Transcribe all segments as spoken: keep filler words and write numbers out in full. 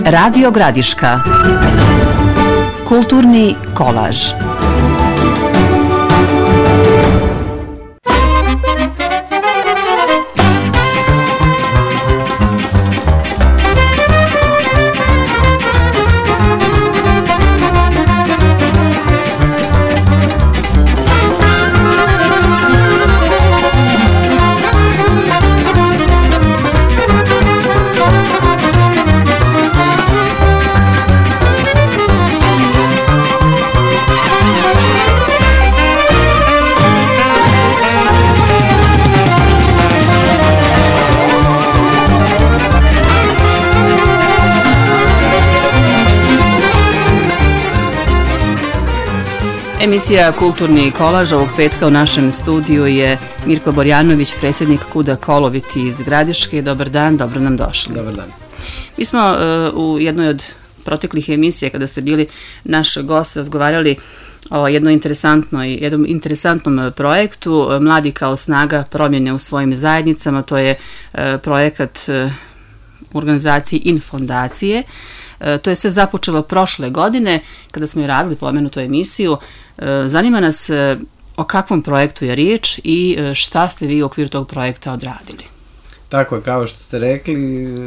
Radio Gradiška. Kulturni kolaž. Emisija Kulturni kolaž ovog petka u našem studiju je Mirko Borjanović, predsjednik KUD-a Koloviti iz Gradiške. Dobar dan, dobro nam došli. Dobar dan. Mi smo uh, u jednoj od proteklih emisija, kada ste bili naš gost, razgovarali o jednoj interesantnoj, jednom interesantnom projektu Mladi kao snaga promjene u svojim zajednicama. To je uh, projekat uh, u organizaciji Infondacije. Uh, to je sve započelo prošle godine, kada smo i radili pomenutu emisiju. Zanima nas o kakvom projektu je riječ i šta ste vi u okviru tog projekta odradili. Tako je, kao što ste rekli,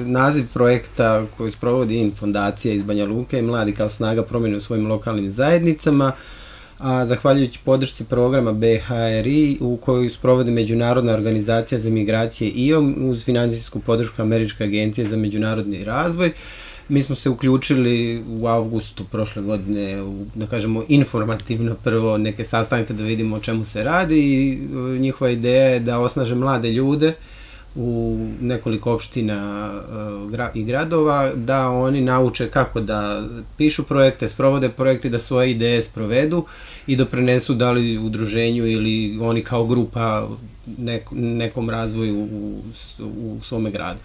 naziv projekta koji sprovodi Infondacija iz Banja Luke je Mladi kao snaga promjene u svojim lokalnim zajednicama, a zahvaljujući podršci programa B H R I u koju sprovodi Međunarodna organizacija za migracije I O M uz financijsku podršku Američke agencije za međunarodni razvoj. Mi smo se uključili u avgustu prošle godine u, da kažemo, informativno prvo neke sastanke da vidimo o čemu se radi i njihova ideja je da osnaže mlade ljude u nekoliko opština i gradova, da oni nauče kako da pišu projekte, sprovode projekte, da svoje ideje sprovedu i doprinesu da li udruženju ili oni kao grupa nekom razvoju u, u svome gradu.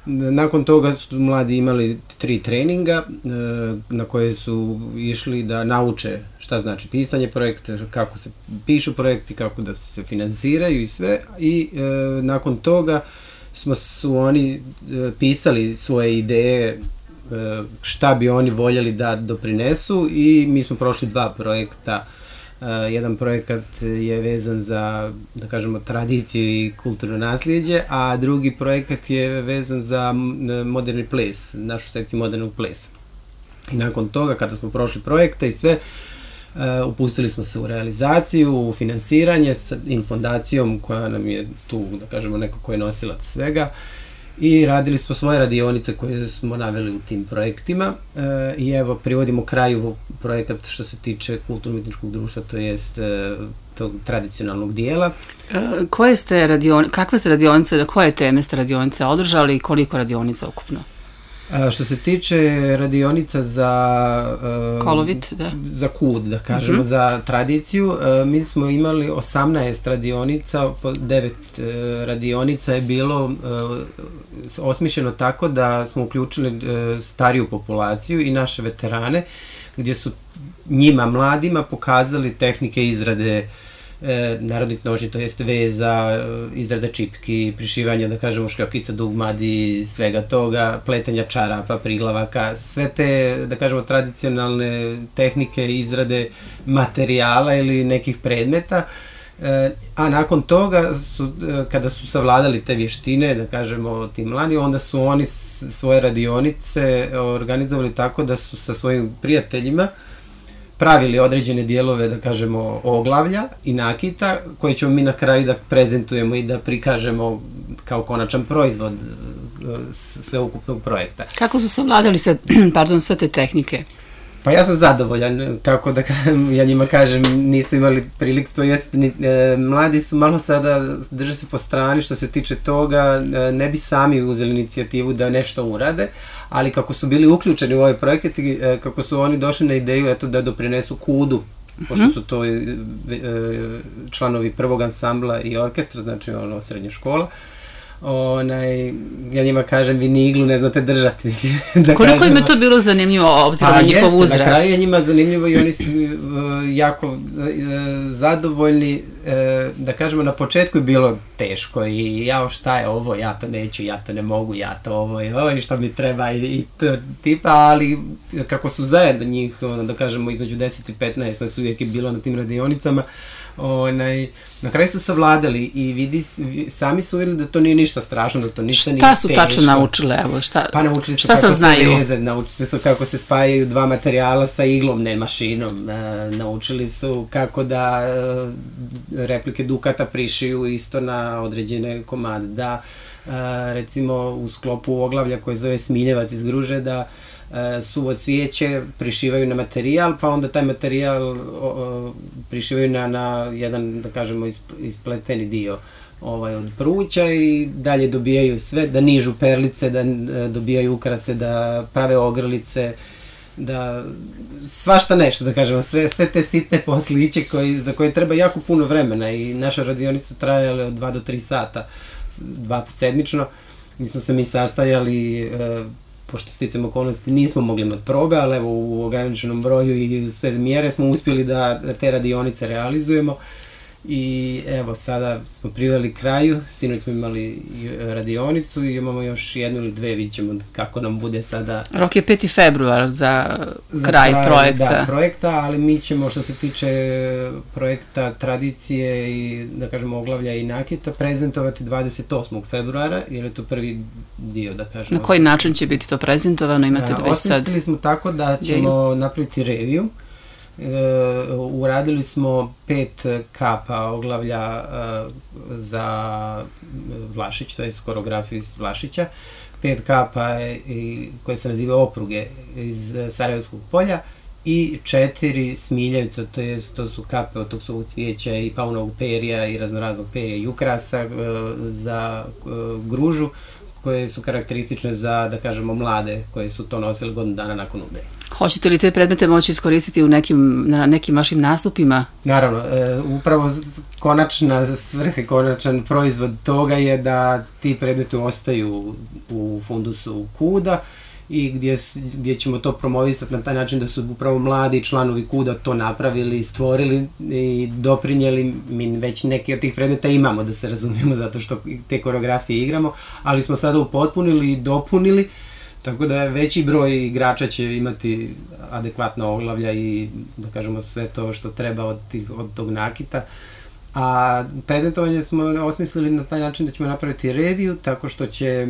Nakon toga su mladi imali tri treninga na koje su išli da nauče šta znači pisanje projekta, kako se pišu projekti, kako da se finansiraju i sve. I e, nakon toga smo su oni e, pisali svoje ideje e, šta bi oni voljeli da doprinesu i mi smo prošli dva projekta. Uh, jedan projekat je vezan za, da kažemo, tradiciju i kulturno nasljeđe, a drugi projekat je vezan za moderni ples, našu sekciju modernog plesa. I nakon toga, kada smo prošli projekte i sve, uh, upustili smo se u realizaciju, u finansiranje sa Infondacijom koja nam je tu, da kažemo, neko ko je nosilac svega. I radili smo svoje radionice koje smo naveli u tim projektima e, i evo privodimo kraju projekat što se tiče kulturno-umjetničkog društva, to jest e, tog tradicionalnog dijela. E, koje ste radion, kakve ste radionice, koje teme ste radionice održali i koliko radionica ukupno? A, što se tiče radionica za uh, Kolovit, da. Za KUD, da kažemo, mm-hmm. za tradiciju, uh, mi smo imali osamnaest radionica, devet uh, radionica je bilo uh, osmišljeno tako da smo uključili uh, stariju populaciju i naše veterane, gdje su njima, mladima, pokazali tehnike izrade E, narodnih nošnji, to jeste veza, izrada čipki, prišivanja, da kažemo, šljokica, dugmadi, svega toga, pletanja čarapa, priglavaka, sve te, da kažemo, tradicionalne tehnike izrade materijala ili nekih predmeta. E, a nakon toga, su, kada su savladali te vještine, da kažemo, ti mladi, onda su oni svoje radionice organizovali tako da su sa svojim prijateljima pravili određene dijelove, da kažemo, oglavlja i nakita, koje ćemo mi na kraju da prezentujemo i da prikažemo kao konačan proizvod sveukupnog projekta. Kako su savladali sve, pardon, sve te tehnike? Pa ja sam zadovoljan, kako da kažem, ja njima kažem, nisu imali priliku, to jest, ni, e, mladi su malo sada, drže se po strani što se tiče toga, e, ne bi sami uzeli inicijativu da nešto urade, ali kako su bili uključeni u ovaj projekat i e, kako su oni došli na ideju, eto, da doprinesu KUD-u, mm-hmm. pošto su to e, članovi prvog ansambla i orkestra, znači ono, srednja škola. Onaj, ja njima kažem, vi ni iglu ne znate držati. Da koliko kažemo, im je to bilo zanimljivo obzirom na njihov uzrast? Na kraju je njima zanimljivo i oni su uh, jako uh, zadovoljni da kažemo, na početku je bilo teško i ja šta je ovo, ja to neću, ja to ne mogu, ja to ovo i ovo i šta mi treba i to tipa, ali kako su zajedno njih, da kažemo, između deset i petnaest nas uvijek je bilo na tim radionicama, onaj, na kraju su savladali i vidi, sami su vidjeli da to nije ništa strašno, da to ništa nije teško. Šta su tačno naučile? Evo, šta, pa naučili su šta kako se veze, naučili su kako se spajaju dva materijala sa iglom, ne mašinom, e, naučili su kako da e, replike dukata prišiju isto na određene komade, da e, recimo u sklopu oglavlja koje zove Smiljevac iz Gruže, da suvo cvijeće prišivaju na materijal, pa onda taj materijal o, o, prišivaju na, na jedan, da kažemo, ispleteni dio ovaj, od pruća i dalje dobijaju sve, da nižu perlice, da dobijaju ukrase, da prave ogrlice, da svašta nešto, da kažemo, sve, sve te sitne posliće koji, za koje treba jako puno vremena i naša radionica trajala od dva do tri sata, dva put sedmično, mi smo se mi sastajali, e, pošto sticam okolnosti nismo mogli imati probe, ali evo u ograničenom broju i sve mjere smo uspjeli da te radionice realizujemo i evo sada smo priveli kraju, sinoć smo imali radionicu i imamo još jednu ili dve, vidjet ćemo kako nam bude sada. Rok je peti februar za, za kraj, kraj projekta. Da, projekta, ali mi ćemo što se tiče projekta tradicije i da kažemo oglavlja i nakita prezentovati dvadeset osmog februara, jer je to prvi dio, da kažemo. Na koji način će biti to prezentovano? Imate da već sad? Osmislili smo tako da ćemo napraviti reviju. Uh, uradili smo pet kapa oglavlja uh, za Vlašić, to je koreografiju iz Vlašića, pet kapa i, koje se nazive opruge iz Sarajevskog polja i četiri Smiljevca, to je, to su kape od tog suvog cvijeća i paunovog perija i raznoraznog perija i ukrasa uh, za uh, Gružu, koje su karakteristične za, da kažemo, mlade koje su to nosile godinu dana nakon Udbe. Hoćete li te predmete moći iskoristiti u nekim, na nekim vašim nastupima? Naravno, e, upravo konačna svrha, konačan proizvod toga je da ti predmeti ostaju u fundusu KUD-a i gdje, gdje ćemo to promovisati na taj način da su upravo mladi članovi KUD-a to napravili, stvorili i doprinijeli. Mi već neke od tih predmeta imamo, da se razumijemo, zato što te koreografije igramo, ali smo sada upotpunili i dopunili, tako da veći broj igrača će imati adekvatna oglavlja i, da kažemo, sve to što treba od, tih, od tog nakita. A prezentovanje smo osmislili na taj način da ćemo napraviti reviju, tako što će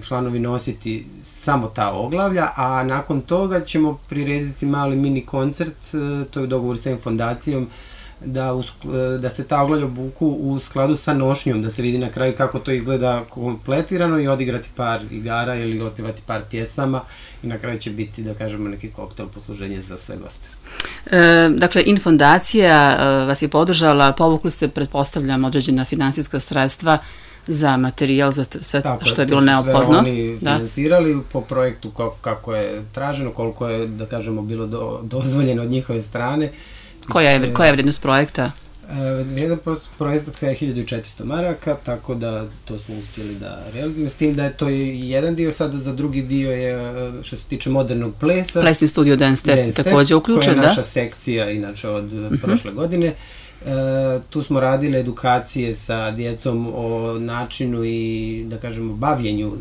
članovi nositi samo ta oglavlja, a nakon toga ćemo prirediti mali mini koncert, to je u dogovoru sa fondacijom, da, u, da se ta oglavlja obuku u skladu sa nošnjom, da se vidi na kraju kako to izgleda kompletirano i odigrati par igara ili otpjevati par pjesama i na kraju će biti, da kažemo, neki koktel posluženje za sve goste. E, dakle, Infondacija vas je podržala, povukli ste, pretpostavljam, određena finansijska sredstva za materijal, za sve tako što je bilo neophodno. Tako je, oni finansirali da. Po projektu kako, kako je traženo, koliko je, da kažemo, bilo do, dozvoljeno od njihove strane. Koja je, koja je vrijednost projekta? E, vrijednost projekta je hiljadu četiristo maraka, tako da to smo uspjeli da realizujemo, s tim da je to jedan dio, sada za drugi dio je što se tiče modernog plesa. Plesni studio Dance Step također uključen, da? Koja je naša sekcija, inače, od uh-huh. prošle godine. E, tu smo radili edukacije sa djecom o načinu i, da kažemo, bavljenju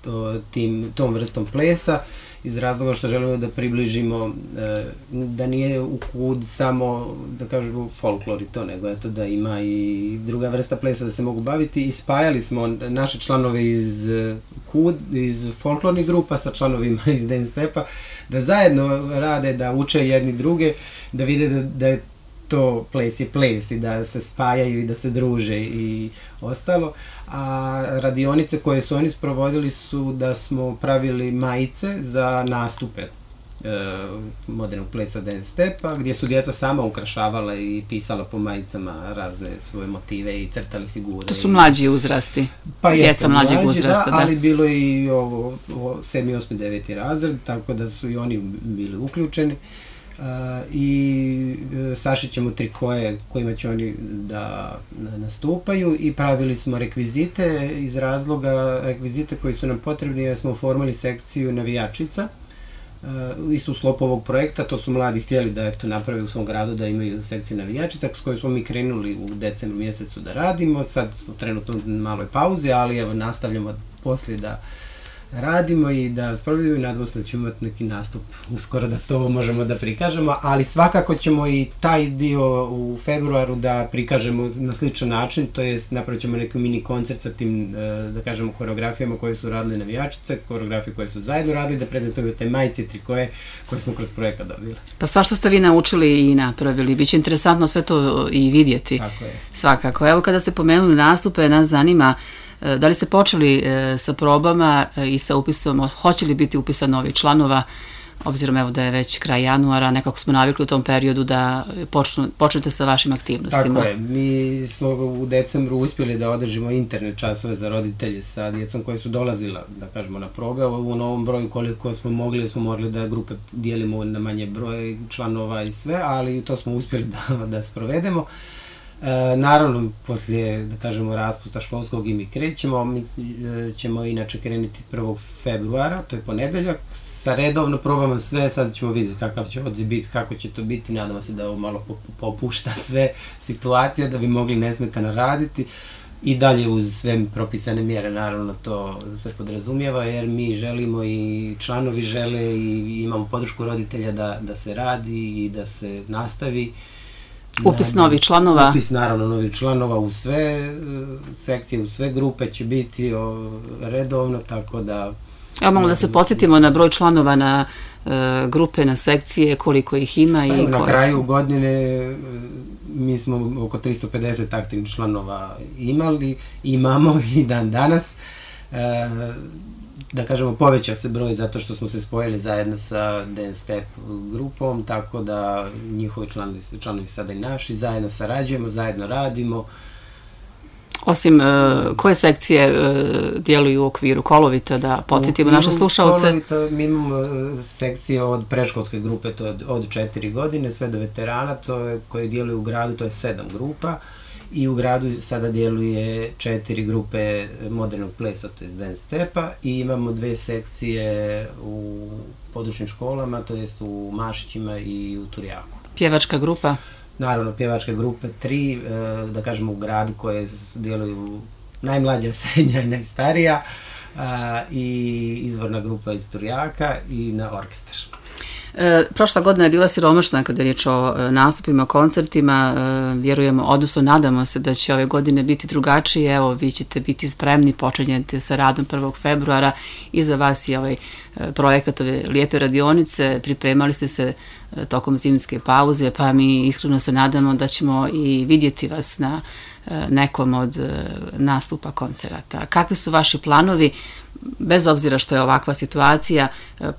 to, tim, tom vrstom plesa, iz razloga što želimo da približimo e, da nije u KUD samo, da kažemo, folklor i to, nego eto da ima i druga vrsta plesa da se mogu baviti i spajali smo naše članove iz KUD, iz folklornih grupa sa članovima iz Dance Stepa, da zajedno rade, da uče jedni druge, da vide da, da je to ples je ples i da se spajaju i da se druže i ostalo. A radionice koje su oni sprovodili su da smo pravili majice za nastupe e, modernog plesa Dance Stepa, gdje su djeca sama ukrašavala i pisala po majicama razne svoje motive i crtali figure. To su mlađi uzrasti, pa djeca mlađeg mlađi, uzrasta. Da, da, ali bilo i ovo, ovo sedmi, osmi, deveti razred, tako da su i oni bili uključeni. Uh, i uh, sašićemo trikoje kojima će oni da, da nastupaju i pravili smo rekvizite iz razloga, rekvizite koji su nam potrebni jer smo oformali sekciju navijačica isto u sklopu ovog projekta, to su mladi htjeli da eto, naprave u svom gradu, da imaju sekciju navijačica s kojom smo mi krenuli u decembru mjesecu da radimo, sad smo trenutno u maloj pauzi, ali evo nastavljamo poslije da radimo i da sprovedimo i nadamo se da ćemo imati neki nastup uskoro da to možemo da prikažemo, ali svakako ćemo i taj dio u februaru da prikažemo na sličan način, to jest napravit ćemo neki mini koncert sa tim, da kažemo, koreografijama koje su radili navijačice, koreografije koje su zajedno radili, da prezentujemo te majice i trikoje koje smo kroz projekat dobili. Pa sva što ste vi naučili i napravili, bit će interesantno sve to i vidjeti. Tako je. Svakako. Evo kada ste pomenuli nastupe, nas zanima da li ste počeli sa probama i sa upisom, hoće li biti upisan novi članova, obzirom evo da je već kraj januara, nekako smo navikli u tom periodu da počnu, počnete sa vašim aktivnostima. Tako je, mi smo u decembru uspjeli da održimo interne časove za roditelje sa djecom koje su dolazila, da kažemo, na probe. U novom broju koliko smo mogli, smo morali da grupe dijelimo na manje broj članova i sve, ali to smo uspjeli da, da sprovedemo. E, naravno, poslije, da kažemo, raspusta školskog i mi krećemo, mi e, ćemo inače krenuti prvog februara, to je ponedeljak, sa redovno probamo sve, sad ćemo vidjeti kakav će odziv biti, kako će to biti, nadamo se da ovo malo popušta sve situacije, da bi mogli nesmetano raditi i dalje uz sve propisane mjere, naravno to se podrazumijeva, jer mi želimo i članovi žele i imamo podršku roditelja da, da se radi i da se nastavi. Upis novih članova. Upis, naravno, novih članova u sve sekcije, u sve grupe će biti redovno, tako da... Evo malo da se podsjetimo na broj članova na uh, grupe, na sekcije, koliko ih ima i koje su. Na kraju godine mi smo oko tristo pedeset aktivnih članova imali, imamo i dan danas. Uh, da kažemo, povećao se broj zato što smo se spojili zajedno sa Dance Step grupom, tako da njihovi članovi, članovi sada i naši, zajedno sarađujemo, zajedno radimo. Osim uh, koje sekcije uh, djeluju u okviru Kolovita, da podsjetimo naše slušalce? Kolovita, mi imamo uh, sekcije od predškolske grupe, to je od, od četiri godine, sve do veterana, to je, koje djeluju u gradu, to je sedam grupa. I u gradu sada djeluje četiri grupe modernog plesa, to je Dance Stepa, i imamo dve sekcije u područnim školama, to jest u Mašićima i u Turjaku. Pjevačka grupa? Naravno, pjevačke grupe, tri, da kažemo, u gradu koje djeluju najmlađa, srednja i najstarija, i izvorna grupa iz Turjaka i na orkestar. E, prošla godina je bila siromašna kada je riječ o e, nastupima, koncertima, e, vjerujemo, odnosno nadamo se da će ove godine biti drugačije. Evo, vi ćete biti spremni, počinjete sa radom prvog februara, i za vas je ovaj e, projekat ove lijepe radionice, pripremali ste se e, tokom zimske pauze, pa mi iskreno se nadamo da ćemo i vidjeti vas na e, nekom od e, nastupa koncerata. Kakvi su vaši planovi? Bez obzira što je ovakva situacija,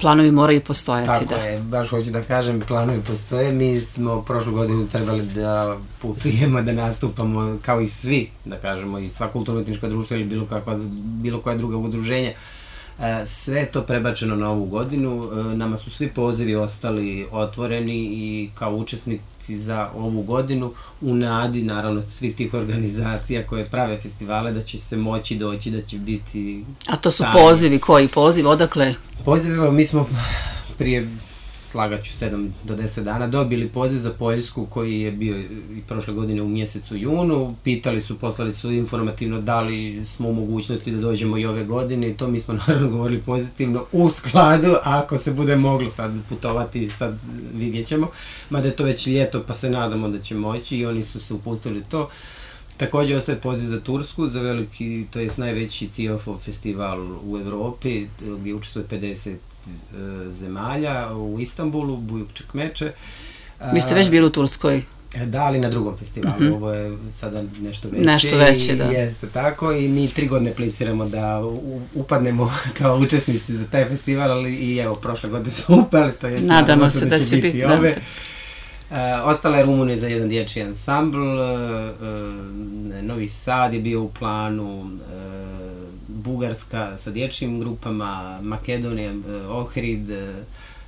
planovi moraju postojati. Tako je, baš hoću da kažem, planovi postoje. Mi smo prošlu godinu trebali da putujemo, da nastupamo kao i svi, da kažemo, i sva kulturno-etnička društva ili bilo, kakva, bilo koja druga udruženja. Sve je to prebačeno na ovu godinu, nama su svi pozivi ostali otvoreni i kao učesnici za ovu godinu, u nadi naravno svih tih organizacija koje prave festivale, da će se moći doći, da će biti... A to su pozivi, koji poziv, odakle? Poziv, mi smo prije, slagaću, sedam do deset dana dobili poziv za Poljsku koji je bio i prošle godine u mjesecu junu. Pitali su, poslali su informativno da li smo u mogućnosti da dođemo i ove godine, i to mi smo naravno govorili pozitivno, u skladu, ako se bude moglo sad putovati, sad vidjet ćemo, mada je to već ljeto pa se nadamo da će moći, i oni su se upustili to. Također ostaje poziv za Tursku, za veliki, to je najveći C I O F-ov festival u Evropi, gdje učestvuje pedeset zemalja, u Istanbulu, Buyuk Çekmeče. Vi ste već bili u Turskoj? Da, ali na drugom festivalu. Mm-hmm. Ovo je sada nešto veće. Nešto veće, da. Jeste tako, i mi tri godine apliciramo da upadnemo kao učesnici za taj festival, ali i evo, prošle godine smo upali, to je nadamo se da, da će biti, biti ove. Uh, ostala je Rumunija za jedan dječji ansambl, uh, uh, Novi Sad je bio u planu, uh, Bugarska sa dječjim grupama, Makedonija, uh, Ohrid, uh,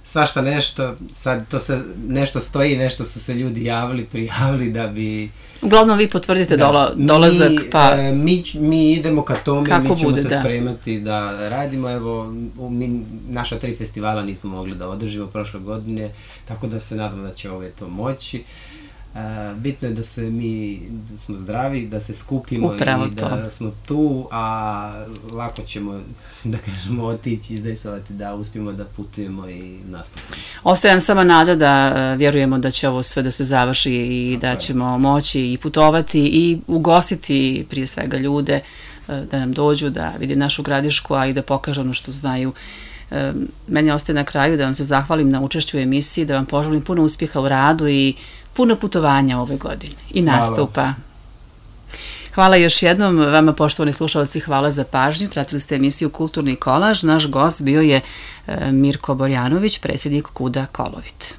svašta nešto, sad to se nešto stoji, nešto su se ljudi javili, prijavili da bi... Uglavnom vi potvrdite da, dola, dolazak, mi, pa... E, mi, mi idemo ka tome, Kako mi ćemo bude, se da. spremati da radimo, evo, mi, naša tri festivala nismo mogli da održimo prošle godine, tako da se nadam da će ove to moći. Uh, bitno je da se mi da smo zdravi, da se skupimo Upravo i da to. Smo tu, a lako ćemo, da kažemo, otići, izdejsovati da uspijemo da putujemo i nastupimo. Ostaje nam sama nada da uh, vjerujemo da će ovo sve da se završi i Tako da je. ćemo moći i putovati i ugostiti prije svega ljude uh, da nam dođu, da vide našu Gradišku, a i da pokažu ono što znaju. Uh, meni ostaje na kraju da vam se zahvalim na učešću u emisiji, da vam poželim puno uspjeha u radu i puno putovanja ove godine i nastupa. Hvala. Hvala još jednom vama, poštovani slušalci, hvala za pažnju. Pratili ste emisiju Kulturni kolaž. Naš gost bio je Mirko Borjanović, predsjednik KUD-a Kolovit.